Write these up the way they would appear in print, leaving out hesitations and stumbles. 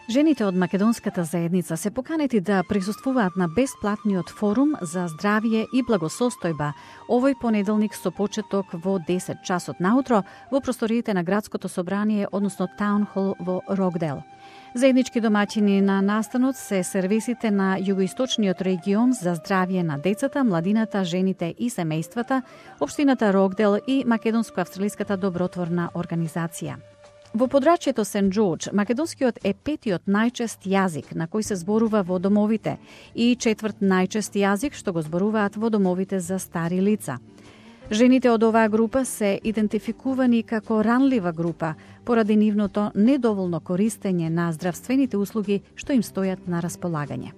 Жените од македонската заедница се поканети да присуствуваат на бесплатниот форум за здравје и благосостојба овој понеделник со почеток во 10 часот наутро во просториите на градското собрание, односно Таун Хол во Рокдел. Заеднички домаќини на настанот се сервисите на југоисточниот регион за здравје на децата, младината, жените и семејствата, општината Рокдел и Македонско-австралиската добротворна организација. Во подрачјето Сент Џорџ, македонскиот е петиот најчест јазик на кој се зборува во домовите и четврт најчест јазик што го зборуваат во домовите за стари лица. Жените од оваа група се идентификувани како ранлива група поради нивното недоволно користење на здравствените услуги што им стојат на располагање.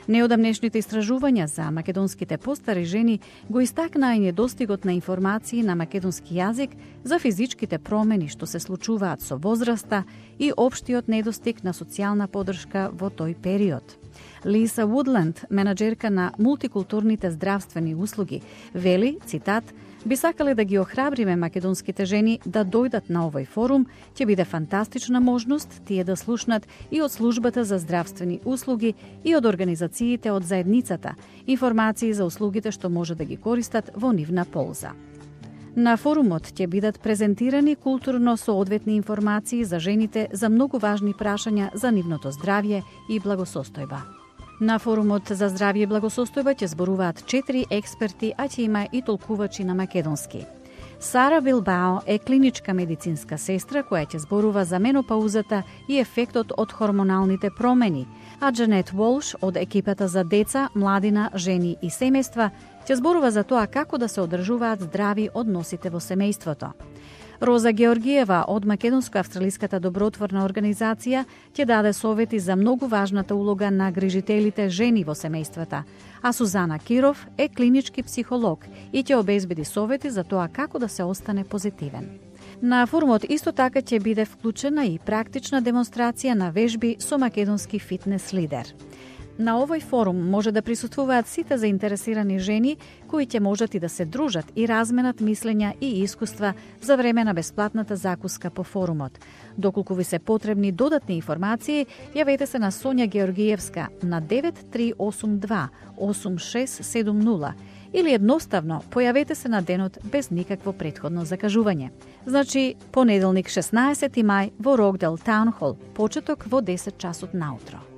Неодамнешните истражувања за македонските постари жени го истакнаа и недостигот на информации на македонски јазик за физичките промени што се случуваат со возраста и општиот недостиг на социјална поддршка во тој период. Лиса Вудланд, менаџерка на мултикултурните здравствени услуги, вели, цитат, би сакале да ги охрабриме македонските жени да дојдат на овој форум, ќе биде фантастична можност тие да слушнат и од службата за здравствени услуги и од организациите од заедницата, информации за услугите што може да ги користат во нивна полза. На форумот ќе бидат презентирани културно соодветни информации за жените за многу важни прашања за нивното здравје и благосостојба. На форумот за здравје и благосостојба ќе зборуваат 4 експерти, а ќе има и толкувачи на македонски. Сара Билбао е клиничка медицинска сестра која ќе зборува за менопаузата и ефектот од хормоналните промени, а Джанет Волш од екипата за деца, младина, жени и семејства ќе зборува за тоа како да се одржуваат здрави односите во семејството. Роза Георгиева од Македонско-австралиската добротворна организација ќе даде совети за многу важната улога на грижителите жени во семејствата, а Сузана Киров е клинички психолог и ќе обезбеди совети за тоа како да се остане позитивен. На форумот исто така ќе биде вклучена и практична демонстрација на вежби со македонски фитнес лидер. На овој форум може да присуствуваат сите заинтересирани жени кои ќе можат и да се дружат и разменат мислења и искуства за време на бесплатната закуска по форумот. Доколку ви се потребни додатни информации, јавете се на Сонја Георгиевска на 9382 8670 или едноставно појавете се на денот без никакво претходно закажување. Значи, понеделник 16 мај во Рокдел Таун Хол, почеток во 10 часот наутро.